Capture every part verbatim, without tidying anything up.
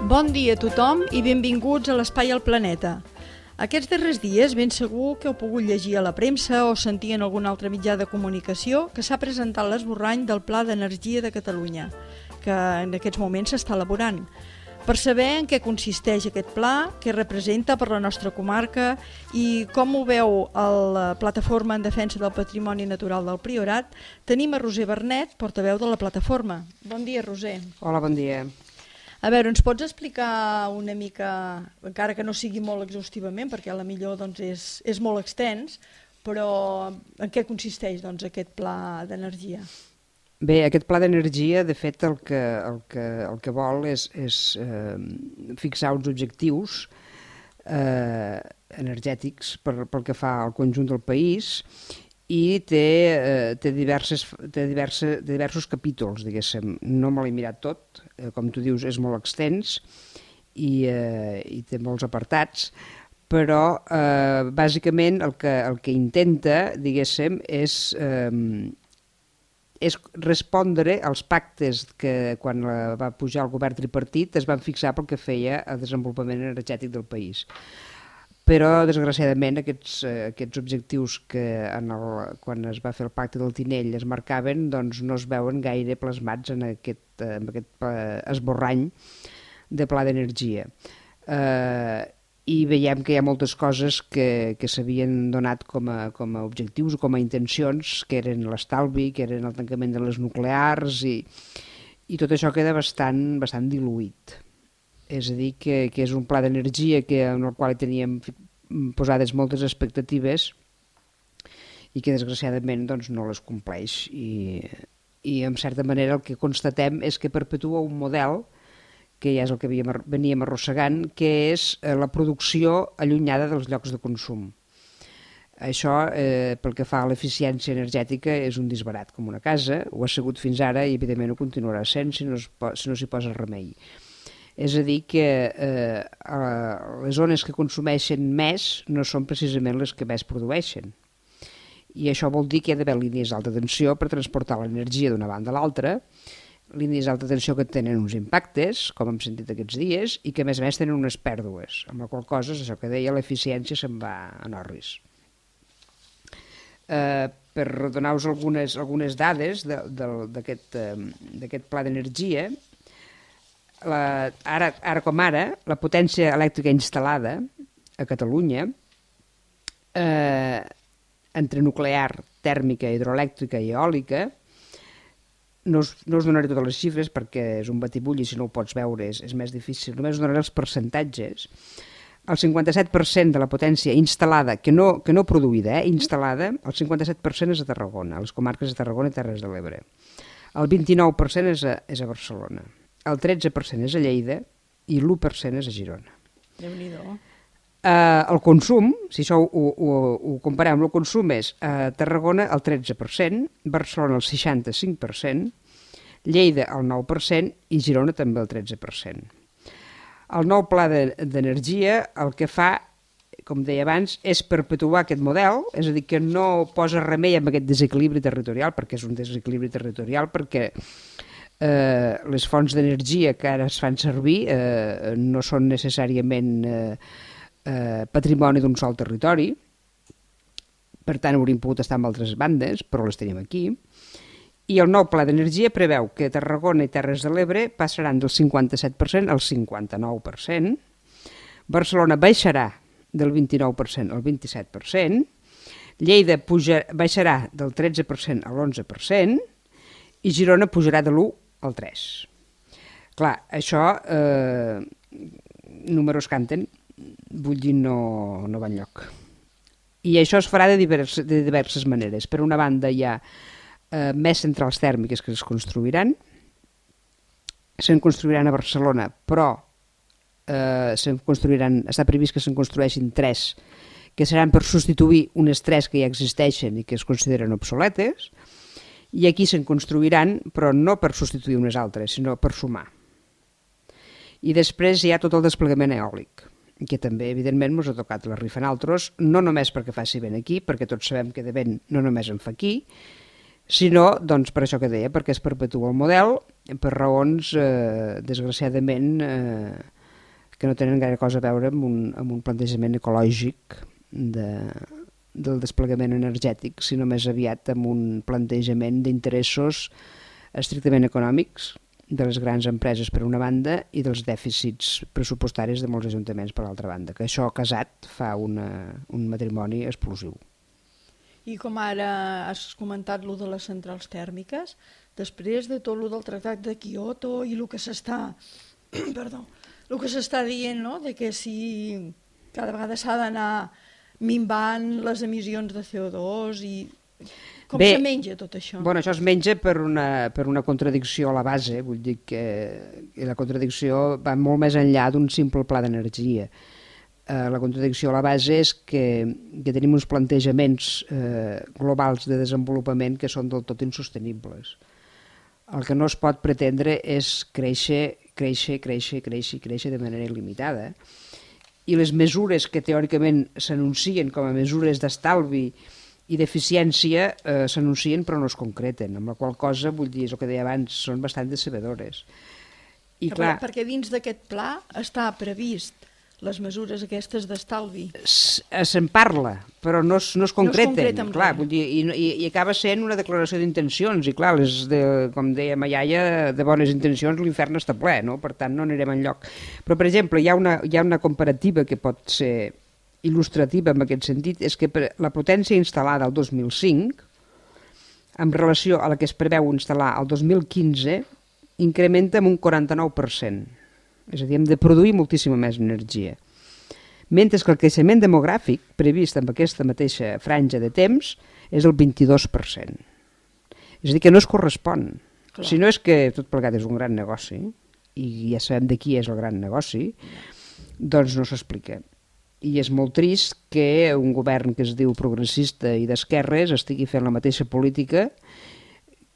Bon dia a tothom i benvinguts a l'Espai al Planeta. Aquests darrers dies ben segur que heu pogut llegir a la premsa o sentir en algun altre mitjà de comunicació que s'ha presentat l'esborrany del Pla d'Energia de Catalunya, que en aquests moments s'està elaborant. Per saber en què consisteix aquest pla, què representa per la nostra comarca i com ho veu la Plataforma en Defensa del Patrimoni Natural del Priorat, tenim a Roser Bernet, portaveu de la plataforma. Bon dia, Roser. Hola, bon dia. A veure, ens pots explicar una mica, encara que no sigui molt exhaustivament, perquè a la millor doncs, és, és molt extens, però en què consisteix doncs, aquest pla d'energia? Bé, aquest pla d'energia, de fet, el que, el que, el que vol és, és eh, fixar uns objectius eh, energètics per, pel que fa al conjunt del país i té, eh, té, diverses, té, diverse, té diversos capítols, diguéssim. No me l'he mirat tot, eh, com tu dius, és molt extens i, eh, i té molts apartats, però eh, bàsicament el que, el que intenta, diguéssim, és... Eh, és respondre als pactes que quan va pujar el govern tripartit es van fixar pel que feia al desenvolupament energètic del país. Però, desgraciadament, aquests, aquests objectius que en el, quan es va fer el pacte del Tinell es marcaven doncs no es veuen gaire plasmats en aquest, en aquest esborrany de pla d'energia. Eh, i veiem que hi ha moltes coses que, que s'havien donat com a, com a objectius o com a intencions, que eren l'estalvi, que eren el tancament de les nuclears, i, i tot això queda bastant, bastant diluït. És a dir, que, que és un pla d'energia que, en el qual teníem posades moltes expectatives i que desgraciadament doncs, no les compleix. I, i en certa manera el que constatem és que perpetua un model que ja és el que veníem arrossegant, que és la producció allunyada dels llocs de consum. Això, eh, pel que fa a l'eficiència energètica, és un disbarat com una casa, ho ha sigut fins ara i evidentment ho continuarà sent si no, es, si no s'hi posa remei. És a dir, que eh, les zones que consumeixen més no són precisament les que més produeixen. I això vol dir que hi ha d'haver línies d'alta tensió per transportar l'energia d'una banda a l'altra, línies d'alta tensió que tenen uns impactes, com hem sentit aquests dies, i que a més a més tenen unes pèrdues, amb la qual cosa, és això que deia, l'eficiència se'n va en orris. Eh, per donar-vos algunes, algunes dades d'aquest eh, pla d'energia, ara, ara com ara, la potència elèctrica instal·lada a Catalunya, eh, entre nuclear, tèrmica, hidroelèctrica i eòlica, No us, no us donaré totes les xifres perquè és un batibull i si no ho pots veure és, és més difícil, només us donaré els percentatges. El cinquanta-set per cent de la potència instal·lada, que no, que no produïda, eh, instal·lada, el cinquanta-set per cent és a Tarragona, a les comarques de Tarragona i Terres de l'Ebre. El vint-i-nou per cent és a, és a Barcelona, el tretze per cent és a Lleida i l'u per cent és a Girona. Déu-n'hi-do. Uh, el consum, si això ho, ho, ho comparem amb el consum, és a uh, Tarragona el tretze per cent, Barcelona el seixanta-cinc per cent, Lleida el nou per cent i Girona també el tretze per cent. El nou pla d'energia el que fa, com deia abans, és perpetuar aquest model, és a dir, que no posa remei amb aquest desequilibri territorial, perquè és un desequilibri territorial, perquè eh, les fonts d'energia que ara es fan servir eh, no són necessàriament eh, Eh, patrimoni d'un sol territori, per tant hauríem pogut estar en altres bandes, però les tenim aquí, i el nou pla d'energia preveu que Tarragona i Terres de l'Ebre passaran del cinquanta-set per cent al cinquanta-nou per cent, Barcelona baixarà del vint-i-nou per cent al vint-i-set per cent, Lleida puja, baixarà del tretze per cent a l'onze per cent i Girona pujarà de l'u al tres per cent. Clar, això, eh, números canten, vull dir, no, no va enlloc. I això es farà de, divers, de diverses maneres. Per una banda hi ha eh, més centrals tèrmiques que es construiran, se'n construiran a Barcelona, però eh, se'n construiran, està previst que se'n construeixin tres, que seran per substituir unes tres que ja existeixen i que es consideren obsoletes, i aquí se'n construiran, però no per substituir unes altres, sinó per sumar. I després hi ha tot el desplegament eòlic, que també, evidentment, ens ha tocat la rifa en altres, no només perquè faci vent aquí, perquè tots sabem que de vent no només en fa aquí, sinó, doncs, per això que deia, perquè es perpetua el model per raons, eh, desgraciadament, eh, que no tenen gaire cosa a veure amb un, amb un plantejament ecològic de, del desplegament energètic, sinó més aviat amb un plantejament d'interessos estrictament econòmics de les grans empreses per una banda i dels dèficits pressupostaris de molts ajuntaments per l'altra banda, que això casat fa una, un matrimoni explosiu. I com ara has comentat lo de les centrals tèrmiques, després de tot lo del Tractat de Kyoto i el que s'està perdó, el que s'està dient, no? De que si cada vegada s'ha d'anar minvant les emissions de C O dos i com Bé, se menja tot això? Bueno, això es menja per una, per una contradicció a la base, vull dir que, que la contradicció va molt més enllà d'un simple pla d'energia. Eh, la contradicció a la base és que, que tenim uns plantejaments eh, globals de desenvolupament que són del tot insostenibles. El que no es pot pretendre és créixer, créixer, créixer, créixer, créixer de manera il·limitada. I les mesures que teòricament s'anuncien com a mesures d'estalvi i d'eficiència eh, s'anuncien però no es concreten, amb la qual cosa, vull dir, és el que deia abans, són bastant decebedores. I clar, perquè dins d'aquest pla està previst les mesures aquestes d'estalvi. Se'n parla, però no es, no es concreten. No es concreten, clar, vull dir, i, i, i acaba sent una declaració d'intencions, i clar, les de, com deia ma iaia, de bones intencions l'infern està ple, no? Per tant no anirem enlloc. Però, per exemple, hi ha una, hi ha una comparativa que pot ser il·lustrativa en aquest sentit, és que la potència instal·lada al dos mil cinc, en relació a la que es preveu instal·lar al dos mil quinze, incrementa en un quaranta-nou per cent. És a dir, hem de produir moltíssima més energia. Mentre que el creixement demogràfic previst amb aquesta mateixa franja de temps és el vint-i-dos per cent. És a dir, que no es correspon. Clar. Si no és que tot plegat és un gran negoci, i ja sabem de qui és el gran negoci, doncs no s'explica. I és molt trist que un govern que es diu progressista i d'esquerres estigui fent la mateixa política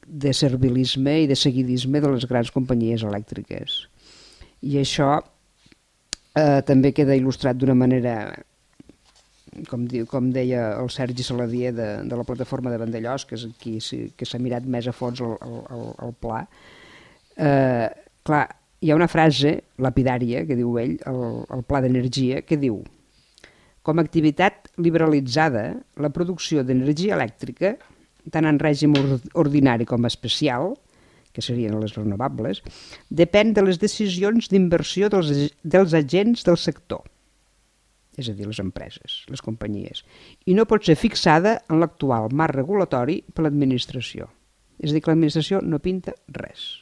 de servilisme i de seguidisme de les grans companyies elèctriques. I això eh, també queda il·lustrat d'una manera, com, diu, com deia el Sergi Saladier de, de la plataforma de Vandellós, que és qui que s'ha mirat més a fons el, el, el pla. Eh, clar, hi ha una frase lapidària que diu ell, el, el pla d'energia, que diu: com a activitat liberalitzada, la producció d'energia elèctrica, tant en règim ordinari com especial, que serien les renovables, depèn de les decisions d'inversió dels, dels agents del sector, és a dir, les empreses, les companyies, i no pot ser fixada en l'actual marc regulatori per l'administració. És a dir, que l'administració no pinta res.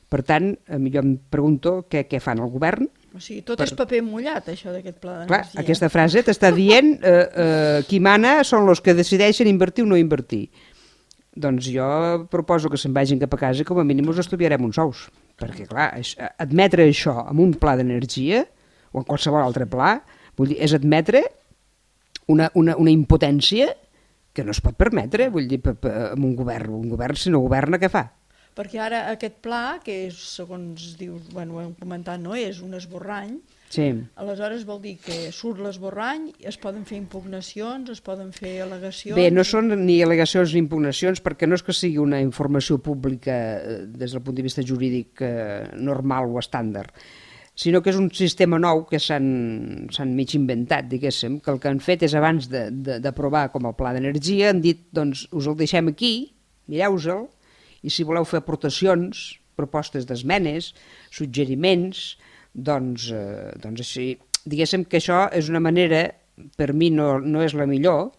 Per tant, jo em pregunto què, què fan el govern. O sigui, tot per... és paper mullat, això d'aquest pla d'energia. Clar, aquesta frase t'està dient eh, eh, qui mana són els que decideixen invertir o no invertir. Doncs jo proposo que se'n vagin cap a casa i com a mínim us estudiarem uns ous. Perquè, clar, admetre això en un pla d'energia o en qualsevol altre pla, vull dir, és admetre una, una, una impotència que no es pot permetre, vull dir, per, per, amb un govern. Un govern, si no governa, què fa? Perquè ara aquest pla, que és, segons dius, bueno, ho hem comentat, no és un esborrany, sí. Aleshores vol dir que surt l'esborrany, es poden fer impugnacions, es poden fer al·legacions... Bé, no són ni al·legacions ni impugnacions perquè no és que sigui una informació pública des del punt de vista jurídic eh, normal o estàndard, sinó que és un sistema nou que s'han mig inventat, diguéssim, que el que han fet és abans d'aprovar com el pla d'energia, han dit, doncs, us el deixem aquí, mireu-se'l, i si voleu fer aportacions, propostes d'esmenes, suggeriments, doncs, eh, doncs així, diguéssim que això és una manera, per mi no, no és la millor,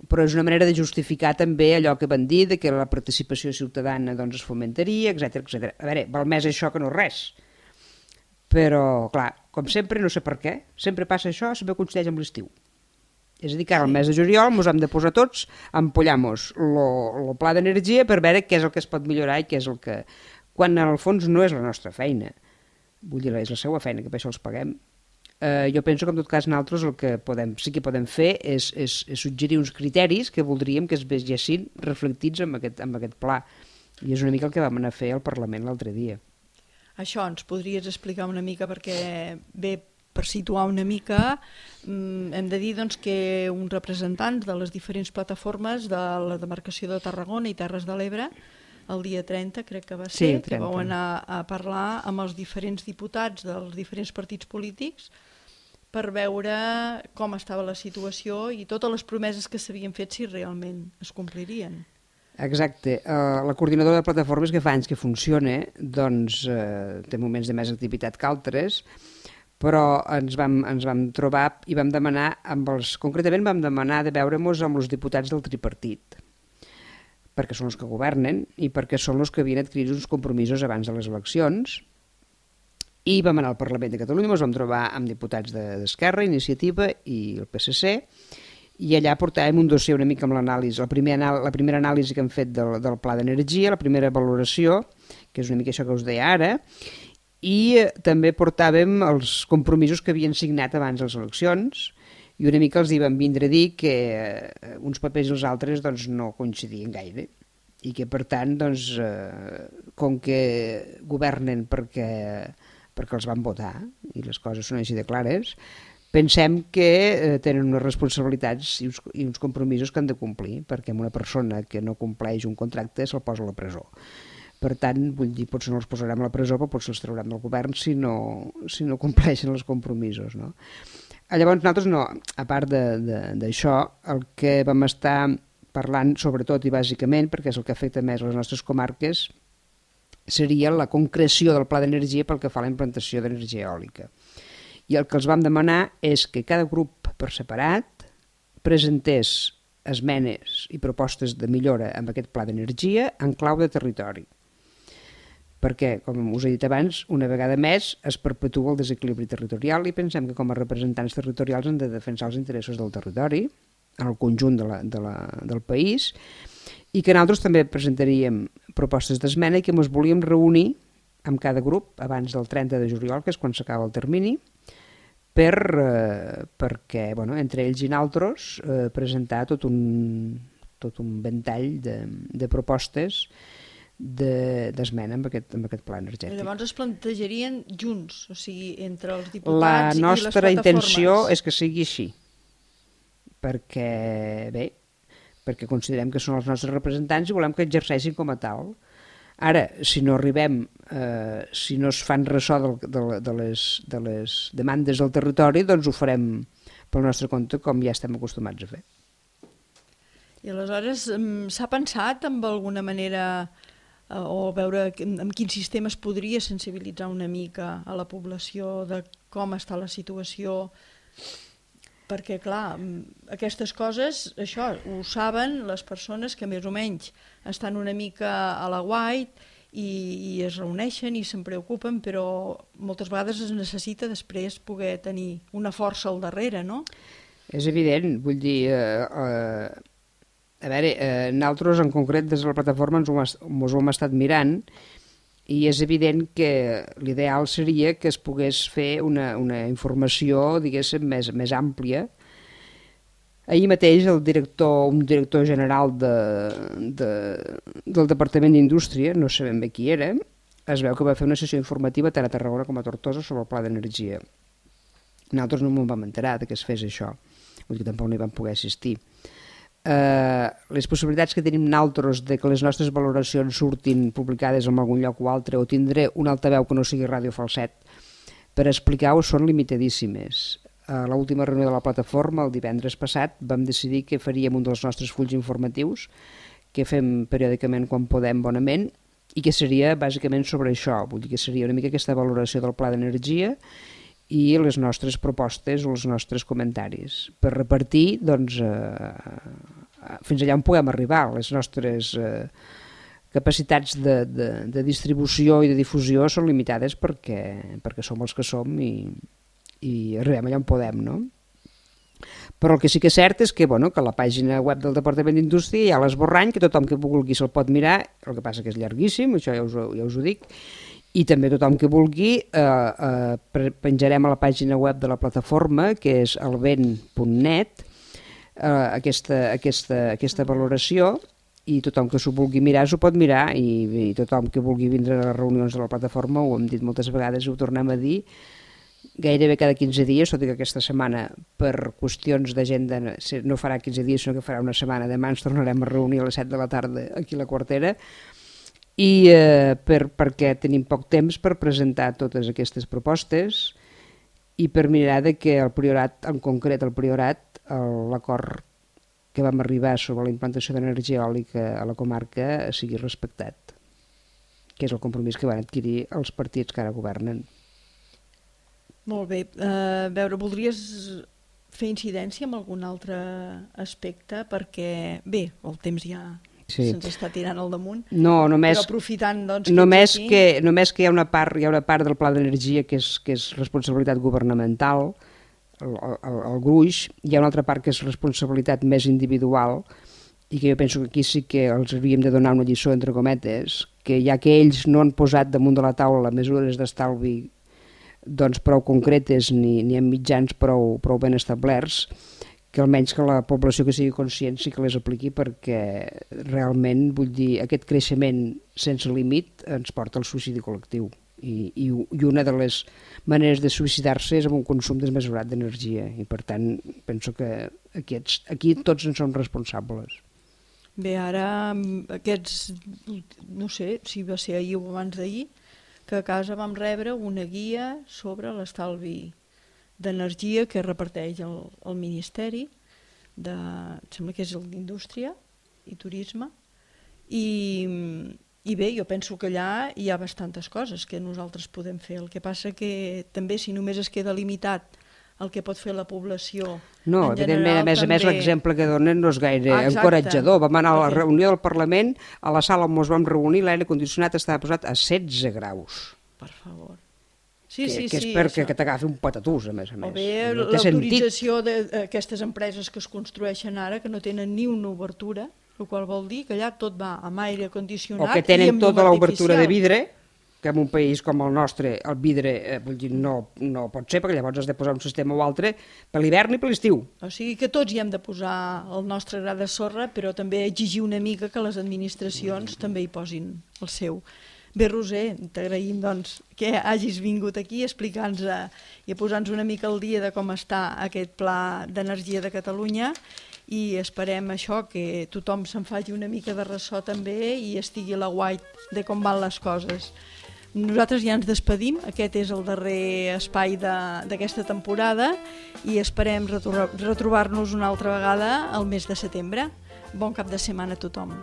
però és una manera de justificar també allò que van dir, de que la participació ciutadana doncs, es fomentaria, etcètera, etcètera. A veure, val més això que no res. Però, clar, com sempre, no sé per què, sempre passa això, sempre coincideix amb l'estiu. És a dir, que ara al mes de juliol ens hem de posar tots a empollar-nos el pla d'energia per veure què és el que es pot millorar i què és el que... Quan en el fons no és la nostra feina. Vull dir, és la seva feina, que per això els paguem. Eh, jo penso que en tot cas nosaltres el que podem, sí que podem fer és, és, és suggerir uns criteris que voldríem que es vegessin reflectits en aquest, en aquest pla. I és una mica el que vam anar a fer al Parlament l'altre dia. Això ens podries explicar una mica perquè ve... Per situar una mica, hem de dir doncs, que uns representants de les diferents plataformes de la demarcació de Tarragona i Terres de l'Ebre el dia trenta, crec que va ser, sí, que vau anar a parlar amb els diferents diputats dels diferents partits polítics per veure com estava la situació i totes les promeses que s'havien fet si realment es complirien. Exacte. Uh, la coordinadora de plataformes, que fa anys que funciona, doncs uh, té moments de més activitat que altres, però ens vam, ens vam trobar i vam demanar, amb els, concretament vam demanar de veure-nos amb els diputats del tripartit, perquè són els que governen i perquè són els que havien adquirit uns compromisos abans de les eleccions, i vam anar al Parlament de Catalunya, ens vam trobar amb diputats d'Esquerra, Iniciativa i el P S C, i allà portàvem un dossier una mica amb l'anàlisi, la, primer, la primera anàlisi que hem fet del, del pla d'energia, la primera valoració, que és una mica això que us deia ara, i eh, també portàvem els compromisos que havien signat abans de les eleccions i una mica els hi van vindre a dir que eh, uns papers i els altres doncs, no coincidien gaire i que per tant doncs, eh, com que governen perquè, perquè els van votar i les coses són així de clares, pensem que eh, tenen unes responsabilitats i uns, i uns compromisos que han de complir, perquè amb una persona que no compleix un contracte se'l posa a la presó. Per tant, vull dir, potser no els posarem a la presó, però potser els traurem del govern si no, si no compleixen els compromisos, no? Llavors, nosaltres, no, a part d'això, el que vam estar parlant, sobretot i bàsicament, perquè és el que afecta més les nostres comarques, seria la concreció del pla d'energia pel que fa a la implantació d'energia eòlica. I el que els vam demanar és que cada grup per separat presentés esmenes i propostes de millora amb aquest pla d'energia en clau de territori. Perquè, com us he dit abans, una vegada més es perpetua el desequilibri territorial i pensem que com a representants territorials hem de defensar els interessos del territori, en el conjunt de la, de la, del país, i que nosaltres també presentaríem propostes d'esmena i que ens volíem reunir amb cada grup abans del trenta de juliol, que és quan s'acaba el termini, per, eh, perquè bueno, entre ells i nosaltres eh, presentar tot un, tot un ventall de, de propostes d'esmena amb, aquest, amb aquest pla energètic. Llavors es plantejarien junts, o sigui, entre els diputats la i les plataformes. La nostra intenció és que sigui així, perquè, bé, perquè considerem que són els nostres representants i volem que exerceixin com a tal. Ara, si no arribem, eh, si no es fan ressò de, de, de, les, de les demandes del territori, doncs ho farem pel nostre compte com ja estem acostumats a fer. I aleshores s'ha pensat amb alguna manera o veure amb quin sistema es podria sensibilitzar una mica a la població de com està la situació, perquè clar, aquestes coses, això, ho saben les persones que més o menys estan una mica a la guait i, i es reuneixen i se'n preocupen, però moltes vegades es necessita després poder tenir una força al darrere, no? És evident, vull dir... Eh, eh... A veure, eh, nosaltres en concret des de la plataforma ens ho, ens ho hem estat mirant i és evident que l'ideal seria que es pogués fer una, una informació, diguéssim, més, més àmplia. Ahir mateix el director, un director general de, de, del Departament d'Indústria, no sabem bé qui era, es veu que va fer una sessió informativa tant a Tarragona com a Tortosa sobre el pla d'energia. Nosaltres no ens vam enterar que es fes això, vull dir que tampoc no hi vam poder assistir. Uh, les possibilitats que tenim nosaltres de que les nostres valoracions surtin publicades en algun lloc o altre o tindré un altaveu que no sigui Ràdio Falset per explicar-ho són limitadíssimes. A l'última reunió de la plataforma, el divendres passat, vam decidir que faríem un dels nostres fulls informatius que fem periòdicament quan podem bonament i que seria bàsicament sobre això, vull dir que seria una mica aquesta valoració del pla d'energia i les nostres propostes o els nostres comentaris, per repartir doncs, eh, fins allà on puguem arribar. Les nostres eh, capacitats de, de, de distribució i de difusió són limitades perquè, perquè som els que som i, i arribem allà on podem, no? Però el que sí que és cert és que, bueno, que la pàgina web del Departament d'Indústria hi ha l'esborrany, que tothom que vulgui se'l pot mirar, el que passa que és llarguíssim, això ja us, ja us ho dic, i també tothom que vulgui eh, eh, penjarem a la pàgina web de la plataforma, que és elvent punt net, eh, aquesta, aquesta, aquesta valoració, i tothom que s'ho vulgui mirar s'ho pot mirar, i, i tothom que vulgui vindre a les reunions de la plataforma, ho hem dit moltes vegades i ho tornem a dir, gairebé cada quinze dies, tot i que aquesta setmana per qüestions d'agenda no farà quinze dies, sinó que farà una setmana. Demà ens tornarem a reunir a les set de la tarda aquí a la Quartera, i eh, per, perquè tenim poc temps per presentar totes aquestes propostes i per mirar de que el Priorat, en concret el Priorat, l'acord que vam arribar sobre la implantació d'energia eòlica a la comarca sigui respectat, que és el compromís que van adquirir els partits que ara governen. Molt bé. A veure, voldries fer incidència en algun altre aspecte? Perquè, bé, el temps ja sí. se'ns està tirant al damunt, no, només, però aprofitant doncs, que només, aquí... que, només que hi ha una part, hi ha una part del pla d'energia que, és, que és responsabilitat governamental, el, el, el gruix, hi ha una altra part que és responsabilitat més individual i que jo penso que aquí sí que els havíem de donar una lliçó entre cometes, que ja que ells no han posat damunt de la taula mesures d'estalvi doncs prou concretes ni, ni amb mitjans prou, prou ben establerts, que almenys que la població que sigui conscient sí que les apliqui, perquè realment, vull dir, aquest creixement sense límit ens porta al suïcidi col·lectiu i, i, i una de les maneres de suïcidar-se és amb un consum desmesurat d'energia i per tant penso que aquests, aquí tots en som responsables. Bé, ara aquests, no sé si va ser ahir o abans d'ahir, que a casa vam rebre una guia sobre l'estalvi d'energia que reparteix el, el Ministeri de, em sembla que és el d'Indústria i Turisme, i, i bé, jo penso que allà hi ha bastantes coses que nosaltres podem fer. El que passa que també si només es queda limitat el que pot fer la població no, en evidentment, general, a més també... a més l'exemple que donen no és gaire ah, encoratjador. Vam anar a la okay. reunió del Parlament, a la sala on ens vam reunir, l'aire condicionat estava posat a setze graus. Per favor. Sí, que, sí, que és sí, perquè això. Que t'agafi un patatús, a més a més. O bé no l'autorització d'aquestes empreses que es construeixen ara, que no tenen ni una obertura, el qual vol dir que allà tot va amb aire condicionat o que tenen i amb tota l'obertura de vidre, que en un país com el nostre el vidre eh, vull dir, no, no pot ser, perquè llavors has de posar un sistema o altre per l'hivern i per l'estiu. O sigui que tots hi hem de posar el nostre gra de sorra, però també exigir una mica que les administracions mm. també hi posin el seu. Bé, Roser, t'agraïm doncs, que hagis vingut aquí a explicar-nos i a posar-nos una mica al dia de com està aquest pla d'energia de Catalunya i esperem això, que tothom se'n faci una mica de ressò també i estigui a la guait de com van les coses. Nosaltres ja ens despedim, aquest és el darrer espai d'aquesta temporada i esperem retrobar-nos una altra vegada al mes de setembre. Bon cap de setmana a tothom.